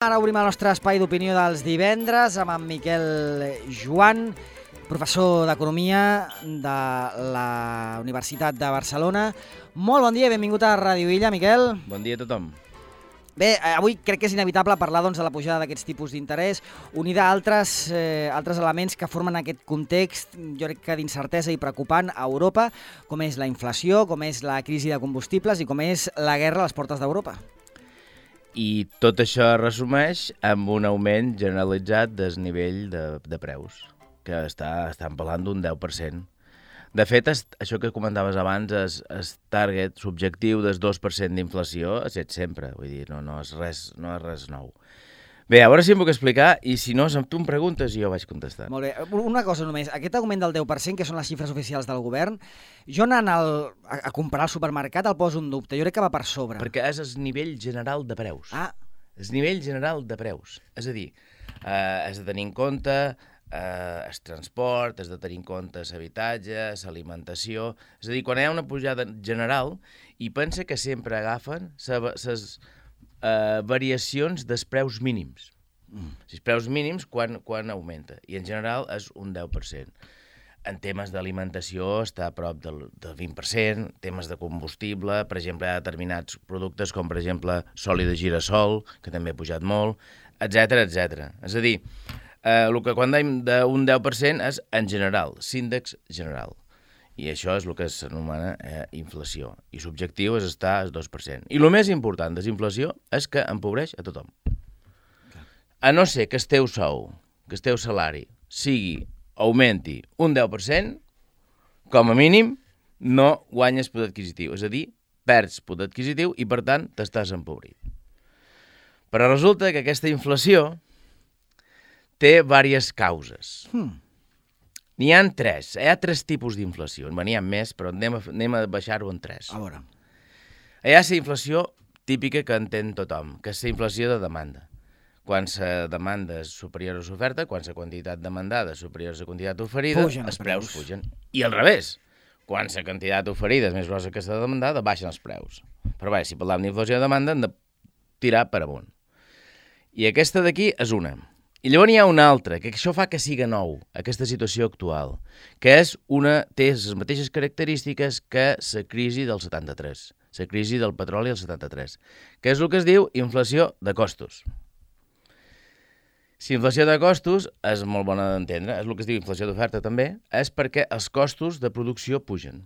Ara obrim el nostre espai d'opinió dels divendres amb en Miquel Joan, professor d'Economia de la Universitat de Barcelona. Molt bon dia i benvingut a Ràdio Illa, Miquel. Bon dia a tothom. Bé, avui crec que és inevitable parlar de la pujada d'aquests tipus d'interès, unida a altres elements que formen aquest context, jo crec que d'incertesa i preocupant a Europa, com és la inflació, com és la crisi de combustibles i com és la guerra a les portes d'Europa. I tot això es resumeix amb un augment generalitzat del nivell de preus, que estan parlant d'un 10%. De fet, això que comentaves abans, el target subjectiu del 2% d'inflació ha estat sempre, vull dir, no és res nou. Bé, a veure si em puc explicar, i si no, tu em preguntes i jo vaig contestant. Molt bé. Una cosa només. Aquest augment del 10%, que són les xifres oficials del govern, jo anant a comprar al supermercat el poso en dubte. Jo crec que va per sobre. Perquè és el nivell general de preus. Ah. El nivell general de preus. És a dir, has de tenir en compte el transport, has de tenir en compte l'habitatge, l'alimentació. És a dir, quan hi ha una pujada general, i pensa que sempre agafen les variacions dels preus mínims. Els preus mínims quan augmenta, i en general és un 10%. En temes d'alimentació està a prop del 20%, temes de combustible, per exemple, hi ha determinats productes com, per exemple, oli de girassol, que també ha pujat molt, etc. És a dir, el que quan dèiem d'un 10% és en general, l'índex general. I això és el que s'anomena inflació. I l'objectiu és estar al 2%. I el més important de la inflació és que empobreix a tothom. A no ser que el teu sou, que el teu salari augmenti un 10%, com a mínim no guanyes poder adquisitiu. És a dir, perds poder adquisitiu i, per tant, t'estàs empobrit. Però resulta que aquesta inflació té diverses causes. N'hi ha tres tipus d'inflació. N'hi ha més, però anem a baixar-ho en tres. A veure. Hi ha la inflació típica que entén tothom, que és la inflació de demanda. Quan la demanda és superior a l'oferta, quan la quantitat demandada és superior a la quantitat oferida, els preus pugen. I al revés, quan la quantitat oferida és més grossa que la demandada, baixen els preus. Però bé, si parlem d'inflació de demanda, hem de tirar per amunt. I aquesta d'aquí és una. I llavors hi ha una altra, que això fa que siga nou, aquesta situació actual, que té les mateixes característiques que la crisi del 73, la crisi del petroli del 73, que és el que es diu inflació de costos. La inflació de costos és molt bona d'entendre, és el que es diu inflació d'oferta també, és perquè els costos de producció pugen.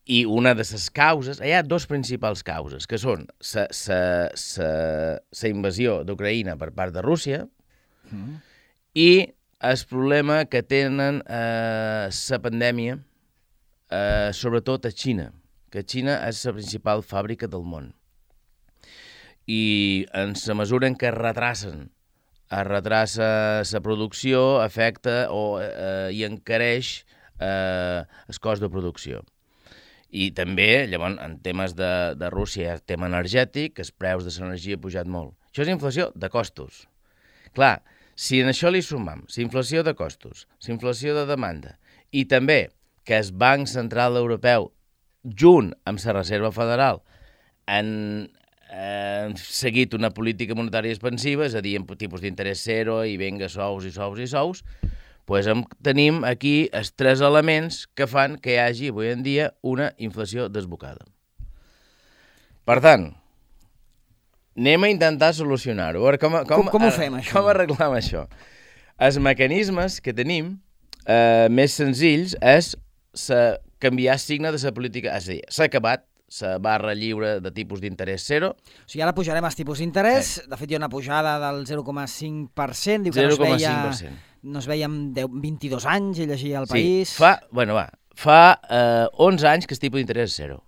I una de les causes, hi ha dos principals causes, que són la invasió d'Ucraïna per part de Rússia i el problema que tenen la pandèmia, sobretot a Xina, que Xina és la principal fàbrica del món. I en la mesura en què es retrassa la producció, afecta i encareix el cost de producció. I també, llavors, en temes de Rússia hi ha tema energètic, els preus de l'energia han pujat molt. Això és inflació de costos. Clar, si en això li sumam la inflació de costos, la inflació de demanda, i també que el Banc Central Europeu, junt amb la Reserva Federal, han seguit una política monetària expansiva, és a dir, amb tipus d'interès zero i venga sous i sous i sous, doncs tenim aquí els tres elements que fan que hi hagi avui en dia una inflació desbocada. Per tant, anem a intentar solucionar-ho. Com ho fem, això? Com arreglem això? Els mecanismes que tenim més senzills és canviar el signe de la política. És a dir, s'ha acabat la barra lliure de tipus d'interès zero. O sigui, ara pujarem els tipus d'interès. De fet, hi ha una pujada del 0,5%. Diu que 0,5%. no es veia amb 22 anys, i llegia al País. Sí, fa 11 anys que el tipus d'interès és zero.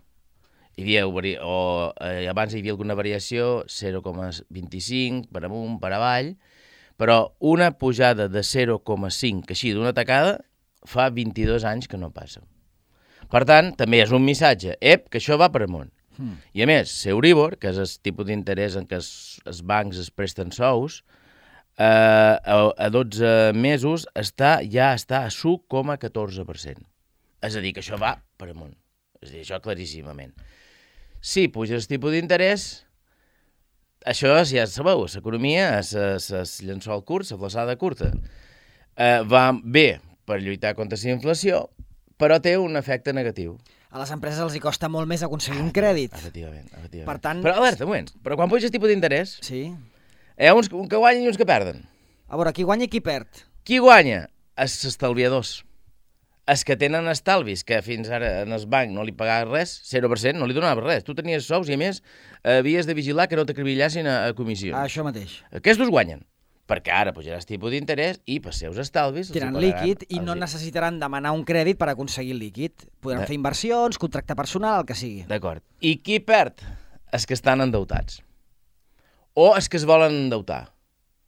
Abans hi havia alguna variació, 0,25 per amunt, per avall, però una pujada de 0,5, que així d'una tacada, fa 22 anys que no passa. Per tant, també és un missatge, que això va per amunt. I a més, l'Euribor, que és el tipus d'interès en què els bancs es presten sous, a 12 mesos ja està a 1,14%. És a dir, que això va per amunt. És a dir, això claríssimament. Si puja el tipus d'interès, això ja sabeu, l'economia és llençol curt, la flaçada curta. Va bé per lluitar contra la inflació, però té un efecte negatiu. A les empreses els hi costa molt més aconseguir un crèdit. Efectivament. Per tant... Però alerta, un moment, però quan puja el tipus d'interès, Sí. hi ha uns que guanyen i uns que perden. A veure, qui guanya i qui perd? Qui guanya? Els estalviadors. Els que tenen estalvis, que fins ara en el banc no li pagaves res, 0%, no li donaves res. Tu tenies sous i, a més, havies de vigilar que no t'acribillassin a comissions. Això mateix. Aquests guanyen, perquè ara pujaràs tipus d'interès i per seus estalvis... Tenen líquid i no necessitaran demanar un crèdit per aconseguir el líquid. Podran fer inversions, contractar personal, el que sigui. D'acord. I qui perd? Els que estan endeutats. O els que es volen endeutar.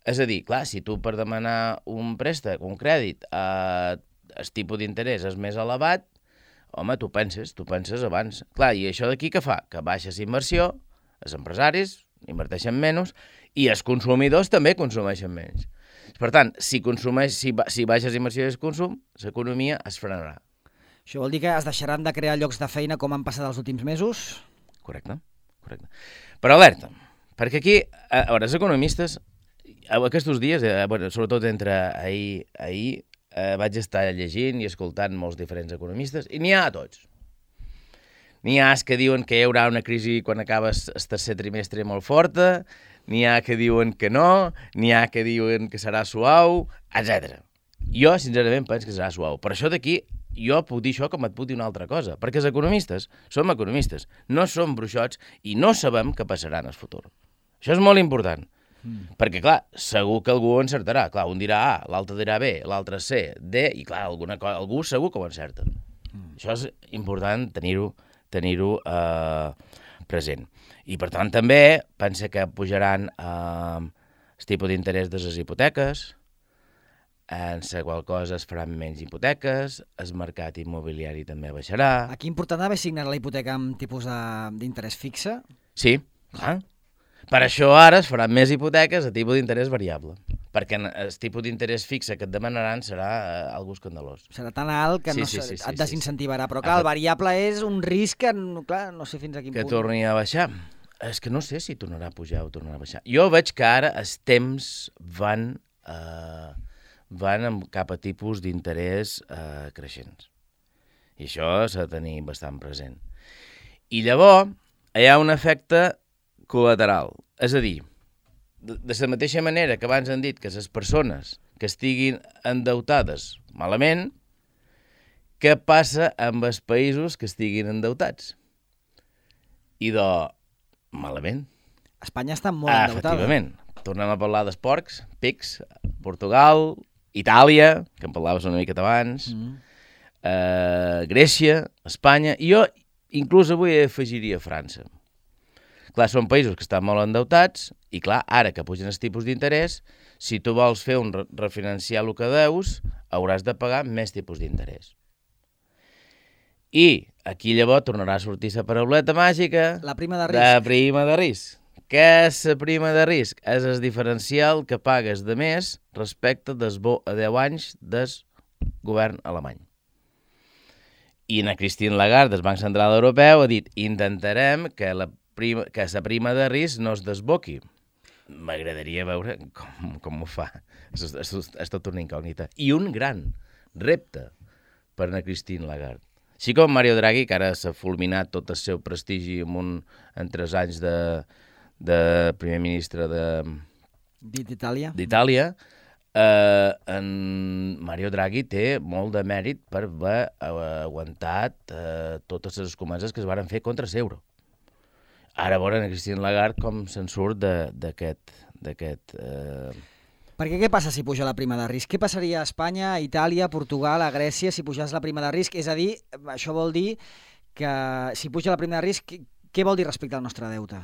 És a dir, clar, si tu per demanar un préstec, un crèdit, el tipus d'interès és més elevat, home, tu penses abans. Clar, i això d'aquí què fa? Que baixa la inversió, els empresaris inverteixen menys i els consumidors també consumeixen menys. Per tant, si baixes inversió i el consum, l'economia es frenarà. Això vol dir que es deixaran de crear llocs de feina com han passat els últims mesos? Correcte. Però alerta, perquè aquí, a veure, els economistes, aquests dies, sobretot entre ahir vaig estar llegint i escoltant molts diferents economistes, i n'hi ha a tots. N'hi ha que diuen que hi haurà una crisi quan acaba el tercer trimestre molt forta, n'hi ha que diuen que no, n'hi ha que diuen que serà suau, etc. Jo, sincerament, penso que serà suau. Per això d'aquí, jo puc dir això com et puc dir una altra cosa, perquè els economistes som economistes, no som bruixots i no sabem què passarà en el futur. Això és molt important. Perquè, clar, segur que algú encertarà. Clar, un dirà A, l'altre dirà B, l'altre C, D, i clar, algú segur que ho encerta. Això és important tenir-ho present. I, per tant, també pensa que pujaran el tipus d'interès de les hipoteques, en la qual cosa es faran menys hipoteques, el mercat immobiliari també baixarà. Aquí important haver signat la hipoteca amb tipus d'interès fixe? Sí, clar. Per això ara es faran més hipoteques a tipus d'interès variable, perquè el tipus d'interès fixe que et demanaran serà algo escandalós. Serà tan alt que et desincentivarà, però clar, el variable és un risc que, clar, no sé fins a quin punt. Que torni a baixar. És que no sé si tornarà a pujar o tornarà a baixar. Jo veig que ara els temps van cap a tipus d'interès creixents. I això s'ha de tenir bastant present. I llavors hi ha un efecte col·lateral. És a dir, de la mateixa manera que abans han dit que les persones que estiguin endeutades malament, què passa amb els països que estiguin endeutats? I malament. Espanya està molt endeutada. Efectivament. Tornem a parlar dels porcs, pics, Portugal, Itàlia, que en parlaves una miqueta abans, Grècia, Espanya, i jo inclús avui afegiria França. Clar, són països que estan molt endeutats i, clar, ara que pugen els tipus d'interès, si tu vols fer un refinanciar el que deus, hauràs de pagar més tipus d'interès. I aquí llavors tornarà a sortir la parauleta màgica... La prima de risc. La prima de risc. Què és la prima de risc? És el diferencial que pagues de més respecte dels 10 anys del govern alemany. I na Christine Lagarde, del Banc Central Europeu, ha dit intentarem que la prima de risc no es desboqui. M'agradaria veure com ho fa. És tot una incògnita. I un gran repte per na Christine Lagarde. Així com Mario Draghi, que ara s'ha fulminat tot el seu prestigi en 3 anys de primer ministre d'Itàlia, en Mario Draghi té molt de mèrit per haver aguantat totes les comences que es van fer contra l'euro. Ara veure Christine Lagarde com se'n surt d'aquest... Perquè què passa si puja la prima de risc? Què passaria a Espanya, a Itàlia, a Portugal, a Grècia si pujés la prima de risc? És a dir, això vol dir que si puja la prima de risc, què vol dir respecte al nostre deute?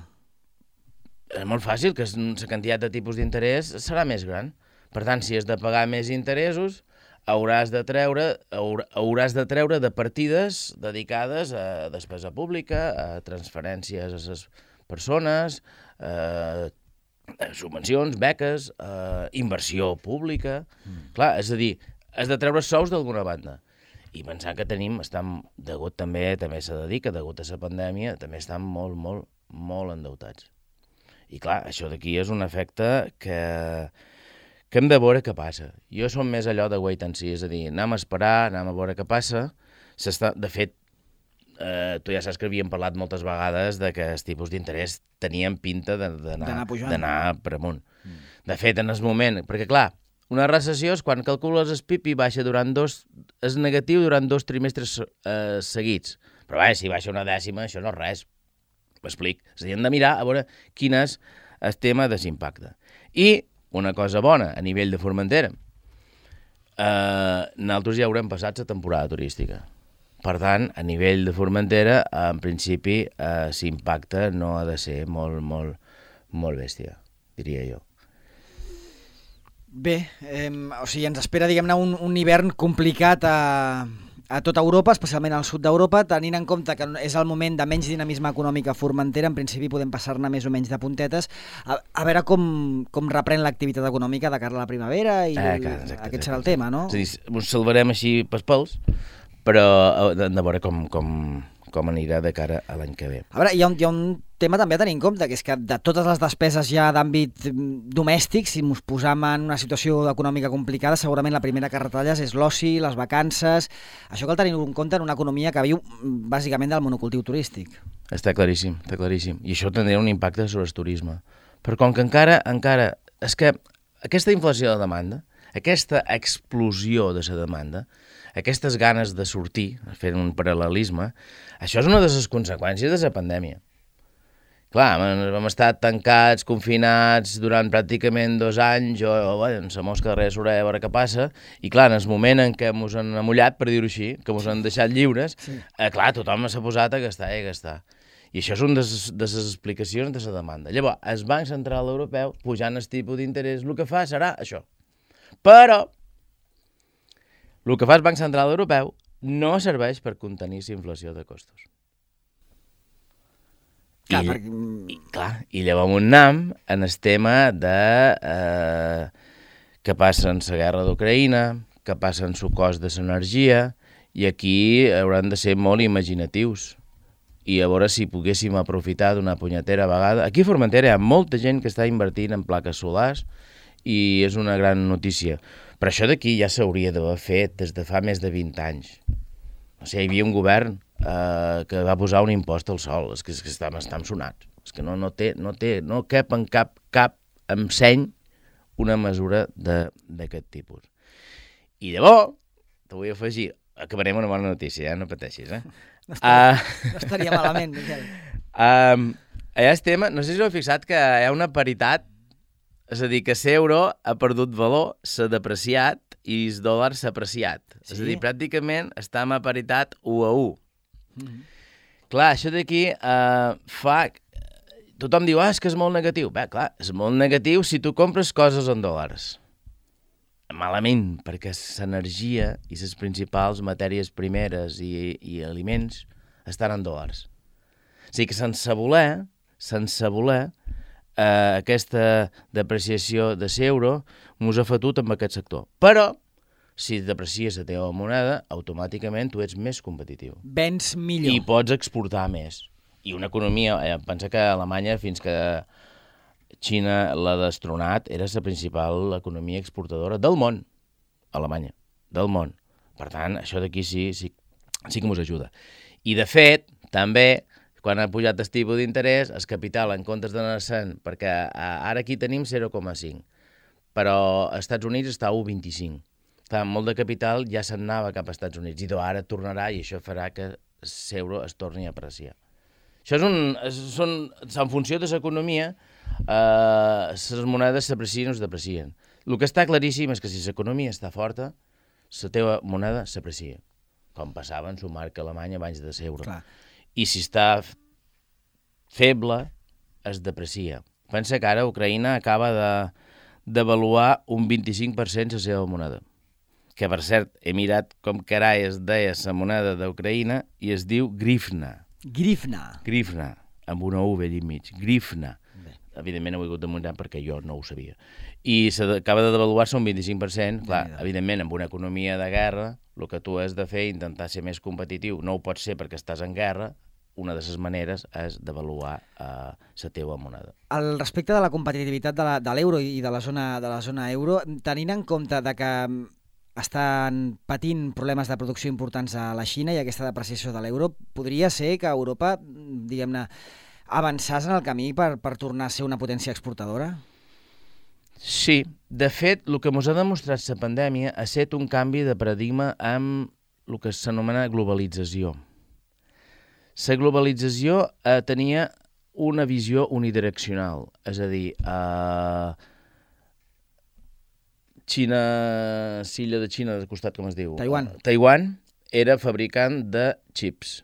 És molt fàcil, que la quantitat de tipus d'interès serà més gran. Per tant, si has de pagar més interessos, hauràs de treure de partides dedicades a despesa pública, a transferències a les persones, subvencions, beques, inversió pública. Clar, és a dir, has de treure sous d'alguna banda. I pensar que degut també s'ha de dir que degut a la pandèmia, també estan molt endeutats. I clar, això d'aquí és un efecte que hem de veure què passa. Jo som més allò de wait and see, és a dir, anem a esperar, anem a veure què passa. De fet, tu ja saps que havíem parlat moltes vegades de que els tipus d'interès tenien pinta d'anar per amunt. De fet, en el moment... Perquè, clar, una recessió és quan calcules el PIB i baixa és negatiu durant 2 trimestres seguits. Però bé, si baixa una dècima, això no és res. M'explic. És a dir, hem de mirar a veure quin és el tema de l'impacte. I una cosa bona a nivell de Formentera. Nosaltres ja haurem passat la temporada turística. Per tant, a nivell de Formentera, en principi, l'impacte no ha de ser molt, molt, molt bèstia, diria jo. Bé, o sigui, ens espera, diguem-ne, un hivern complicat a tota Europa, especialment al sud d'Europa, tenint en compte que és el moment de menys dinamisme econòmic a Formentera, en principi podem passar-ne més o menys de puntetes, a veure com reprèn l'activitat econòmica de cara a la primavera i aquest serà el tema, no? És a dir, us salvarem així pels pèls, però hem de veure com anirà de cara a l'any que ve. A veure, hi ha un tema també a tenir en compte, que és que de totes les despeses ja d'àmbit domèstic, si ens posam en una situació econòmica complicada, segurament la primera que retalles és l'oci, les vacances. Això cal tenir en compte en una economia que viu bàsicament del monocultiu turístic. Està claríssim, està claríssim. I això tindrà un impacte sobre el turisme. Però com que encara... És que aquesta inflació de demanda, aquesta explosió de la demanda, aquestes ganes de sortir, fent un paral·lelisme, això és una de les conseqüències de la pandèmia. Clar, hem estat tancats, confinats durant pràcticament 2 anys, amb la mosca darrere l'orella a veure què passa, i clar, en el moment en què ens han amullat, per dir-ho així, que ens han deixat lliures, clar, tothom s'ha posat a gastar i a gastar. I això és una de les explicacions de la demanda. Llavors, el Banc Central Europeu, pujant el tipus d'interès, el que fa serà això. Però el que fa el Banc Central Europeu no serveix per contenir la inflació de costos. I llavors anem en el tema de què passa en la guerra d'Ucraïna, què passa en el cost de l'energia, i aquí hauran de ser molt imaginatius. I a veure si poguéssim aprofitar d'una punyetera vegada. Aquí a Formentera hi ha molta gent que està invertint en plaques solars i és una gran notícia. Però això d'aquí ja s'hauria d'haver fet des de fa més de 20 anys. O sigui, hi havia un govern que va posar un impost al sol. És que estan sonats. És que no cap en cap seny una mesura d'aquest tipus. I llavors, te vull afegir, acabarem una bona notícia, no pateixis, No estaria malament, Miquel. Allà el tema, no sé si heu fixat que hi ha una paritat, és a dir, que l'euro ha perdut valor, s'ha depreciat i el dòlar s'ha apreciat. Sí? És a dir, pràcticament estem a paritat 1 a 1. Clar, això d'aquí fa... Tothom diu, és que és molt negatiu. Bé, clar, és molt negatiu si tu compres coses en dòlars. Malament, perquè l'energia i les principals matèries primeres i aliments estan en dòlars. O sigui que sense voler, aquesta depreciació de l'euro ens ha fotut amb aquest sector. Però, si deprecies la teva moneda, automàticament tu ets més competitiu. Vens millor. I pots exportar més. I una economia, pensa que Alemanya, fins que Xina l'ha destronat, era la principal economia exportadora del món. Alemanya, del món. Per tant, això d'aquí sí que ens ajuda. I, de fet, també, quan ha pujat el tipus d'interès, el capital, en comptes d'anar sent, perquè ara aquí tenim 0,5, però als Estats Units està a 1,25. Molt de capital ja se'n anava cap als Estats Units, i ara tornarà i això farà que l'euro es torni a apreciar. Això en funció de l'economia, les monedes s'aprecien o es deprecien. El que està claríssim és que si l'economia està forta, la teva moneda s'aprecia, com passava en la marca alemanya abans de l'euro. I si està feble, es deprecia. Pensa que ara Ucraïna acaba d'avaluar un 25% la seva moneda. Que, per cert, he mirat com carai es deia la moneda d'Ucraïna i es diu grivna. Grivna, amb una U allà enmig. Grivna. Evidentment ho he hagut de muntar perquè jo no ho sabia. I s'acaba de devaluar-se un 25%. Clar, evidentment, amb una economia de guerra, el que tu has de fer és intentar ser més competitiu. No ho pots ser perquè estàs en guerra, una de les maneres és devaluar la teva moneda. Al respecte de la competitivitat de l'euro i de la zona euro, tenint en compte de que estan patint problemes de producció importants a la Xina i aquesta depreciació de l'euro, podria ser que Europa, diguem-ne, avançàs en el camí per tornar a ser una potència exportadora? Sí, de fet, el que ens ha demostrat la pandèmia ha estat un canvi de paradigma amb el que s'anomena globalització. La globalització tenia una visió unidireccional, és a dir, Xina, l'illa de Xina del costat, com es diu? Taiwan era fabricant de xips.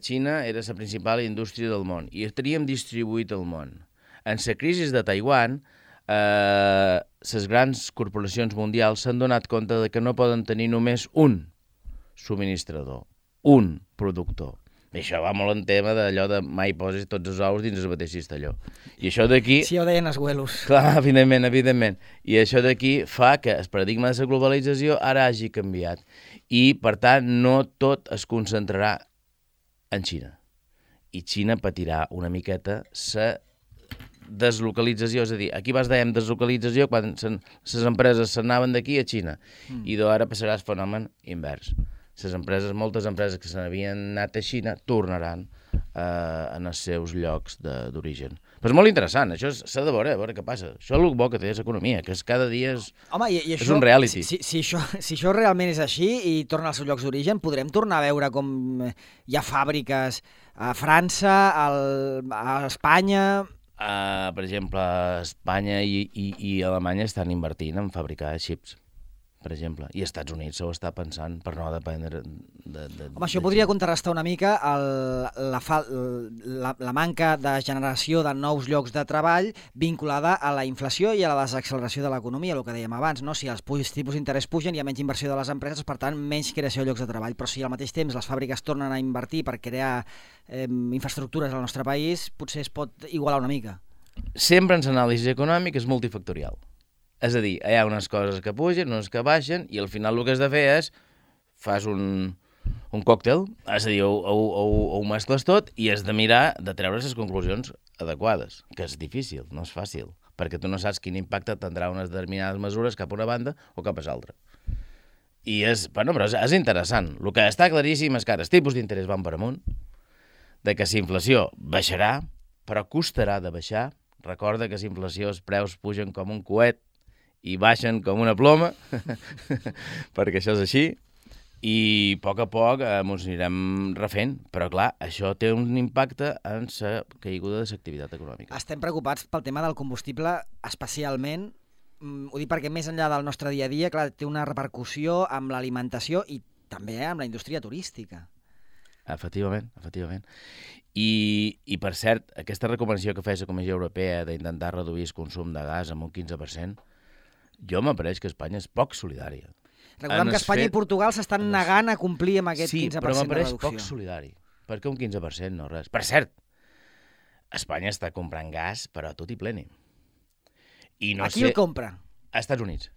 Xina era la principal indústria del món i teníem distribuït el món. En la crisi de Taiwan, les grans corporacions mundials s'han donat compte de que no poden tenir només un subministrador, un productor. I això va molt en tema d'allò de mai posis tots els ous dins el mateix cistelló. I això d'aquí... Sí, ho deien els güelos. Clar, evidentment. I això d'aquí fa que el paradigma de la globalització ara hagi canviat. I, per tant, no tot es concentrarà en Xina. I Xina patirà una miqueta la deslocalització, és a dir, aquí vas dèiem deslocalització quan les empreses s'anaven d'aquí a Xina i d'ara passarà el fenomen invers. Moltes empreses que se n'havien anat a Xina tornaran en els seus llocs d'origen. Però és molt interessant, això s'ha de veure què passa. Això és el bo que té l'economia, que cada dia és un reality. Si això realment és així i torna als seus llocs d'origen, podrem tornar a veure com hi ha fàbriques a França, a Espanya... Per exemple, Espanya i Alemanya estan invertint en fabricar xips, per exemple, i als Estats Units s'ho està pensant per no dependre de Home, això podria contrarrestar una mica la manca de generació de nous llocs de treball vinculada a la inflació i a la desacceleració de l'economia, el que dèiem abans, no? Si els tipus d'interès pugen, hi ha menys inversió de les empreses, per tant, menys creació de llocs de treball. Però si al mateix temps les fàbriques tornen a invertir per crear infraestructures al nostre país, potser es pot igualar una mica. Sempre en l'anàlisi econòmica és multifactorial. És a dir, hi ha unes coses que pugen, unes que baixen, i al final el que has de fer és fas un còctel, és a dir, ho mescles tot i has de mirar de treure les conclusions adequades, que és difícil, no és fàcil, perquè tu no saps quin impacte tindrà unes determinades mesures cap a una banda o cap a l'altra. I però és interessant. El que està claríssim és que ara els tipus d'interès van per amunt, de que la inflació baixarà, però costarà de baixar. Recorda que la inflació, els preus pugen com un coet i baixen com una ploma, perquè això és així, i a poc ens anirem refent. Però, clar, això té un impacte en la caiguda de l'activitat econòmica. Estem preocupats pel tema del combustible, especialment, ho dic perquè més enllà del nostre dia a dia, clar, té una repercussió amb l'alimentació i també amb la indústria turística. Efectivament. I, per cert, aquesta recomanació que feia la Comissió Europea d'intentar reduir el consum de gas amb un 15%, jo m'apareix que Espanya és poc solidària. Recordem que Espanya i Portugal s'estan negant a complir amb aquest 15% de reducció. Sí, però m'apareix poc solidari, perquè un 15% no res. Per cert, Espanya està comprant gas, però a tot i pleni. Qui el compra? A Estats Units,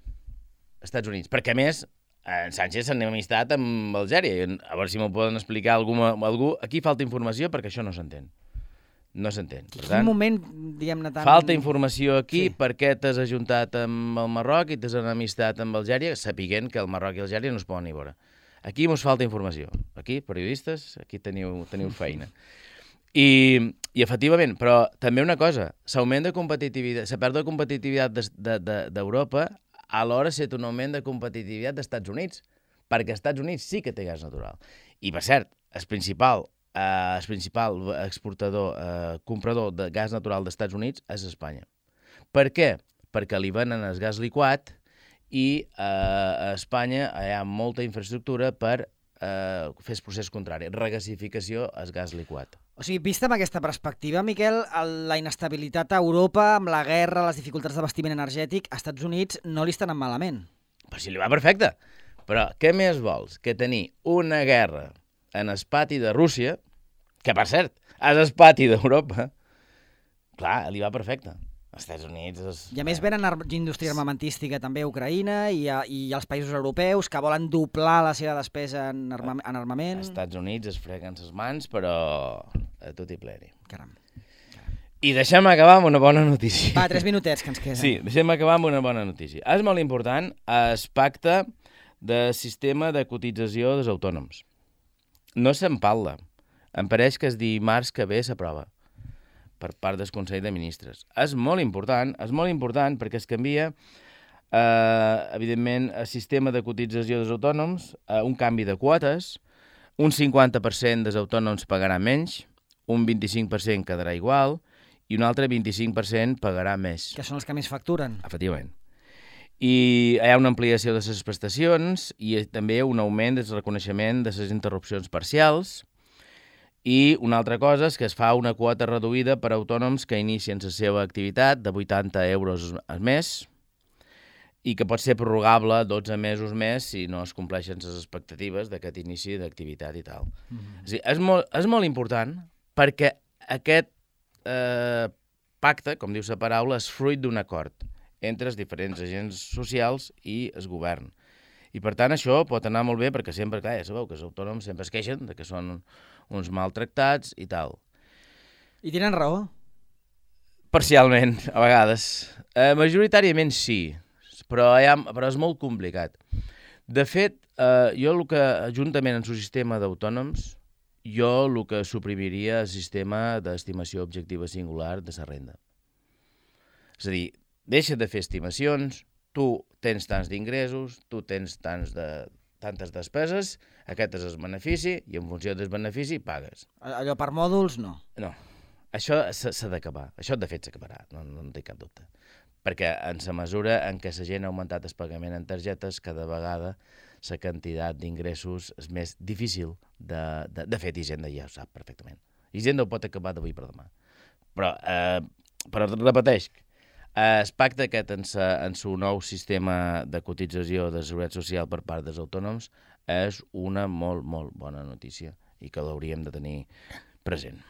perquè a més en Sánchez s'ha amistat amb Algèria. A veure si m'ho poden explicar algú. Aquí falta informació perquè això no s'entén. No s'entén. Quin moment, diguem-ne tant... Falta informació aquí perquè t'has ajuntat amb el Marroc i t'has amistat amb Algèria, sapiguent que el Marroc i Algèria no es poden ni veure. Aquí mos falta informació. Aquí, periodistes, aquí teniu feina. I efectivament, però també una cosa, l'augment de competitivitat, la pèrdua de competitivitat d'Europa alhora ha estat un augment de competitivitat dels Estats Units, perquè els Estats Units sí que té gas natural. I, per cert, el principal exportador, comprador de gas natural dels Estats Units és Espanya. Per què? Perquè li venen el gas liquat i a Espanya hi ha molta infraestructura per fer el procés contrari, regasificació al gas liquat. O sigui, vista amb aquesta perspectiva, Miquel, la inestabilitat a Europa, amb la guerra, les dificultats d'abastiment energètic, als Estats Units no li estan malament. Però si li va perfecte. Però què més vols que tenir una guerra en el pati de Rússia, que per cert, és el pati d'Europa, clar, li va perfecte. Els Estats Units... I a més venen indústria armamentística també a Ucraïna i als països europeus que volen doblar la seva despesa en armament. Els Estats Units es freguen les mans, però a tot i pleni. Caram. I deixem acabar amb una bona notícia. Va, 3 minutets que ens queden. Sí, deixem acabar amb una bona notícia. És molt important el pacte de sistema de cotització dels autònoms. No se'n parla. Em pareix que el dimarts que ve s'aprova per part del Consell de Ministres. És molt important perquè es canvia, evidentment, el sistema de cotització dels autònoms, un canvi de quotes, un 50% dels autònoms pagarà menys, un 25% quedarà igual i un altre 25% pagarà més. Que són els que més facturen. Efectivament. I hi ha una ampliació de les prestacions i també un augment del reconeixement de les interrupcions parcials. I una altra cosa és que es fa una quota reduïda per a autònoms que inicien la seva activitat de 80 euros al mes i que pot ser prorrogable 12 mesos més si no es compleixen les expectatives d'aquest inici d'activitat i tal. És a dir, és molt important perquè aquest pacte, com diu la paraula, és fruit d'un acord entre els diferents agents socials i el govern. I per tant això pot anar molt bé perquè sempre, clar, ja sabeu que els autònoms sempre es queixen de que són uns maltractats i tal. I tenen raó? Parcialment, a vegades. Majoritàriament sí, però és molt complicat. De fet, jo el que, juntament amb el sistema d'autònoms, jo el que suprimiria el sistema d'estimació objectiva singular de la renda. És a dir, deixa de fer estimacions, tu tens tants d'ingressos, tu tens tantes despeses, aquest és el benefici, i en funció del benefici pagues. Allò per mòduls, no. No, això s'ha d'acabar. Això, de fet, s'acabarà, no té cap dubte. Perquè en la mesura en què la gent ha augmentat el pagament en targetes, cada vegada la quantitat d'ingressos és més difícil de fet, Hisenda ja ho sap perfectament. Hisenda ho pot acabar d'avui per demà. Però repeteix, el pacte aquest en el nou sistema de cotització de seguretat social per part dels autònoms és una molt, molt bona notícia i que l'hauríem de tenir present.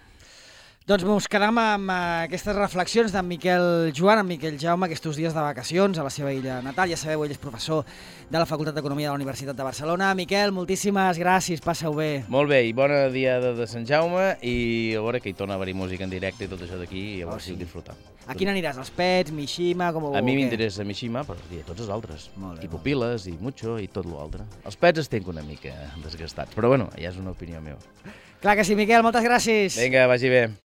Doncs ens quedem amb aquestes reflexions d'en Miquel Joan, en Miquel Jaume, aquests dies de vacacions a la seva illa natal. Ja sabeu, ell és professor de la Facultat d'Economia de la Universitat de Barcelona. Miquel, moltíssimes gràcies, passa-ho bé. Molt bé, i bona diada de Sant Jaume, i a veure que hi torna a haver música en directe i tot això d'aquí, i a veure si ho disfrutam. A quin aniràs? Els Pets, Mishima, com ho... A mi m'interessa Mishima, però i a tots els altres. I Pupiles, i Mucho, i tot l'altre. Els Pets estic una mica desgastats, però bueno, ja és una opinió meva. Clar que sí, Miquel, moltes gràcies. Vinga, vagi bé.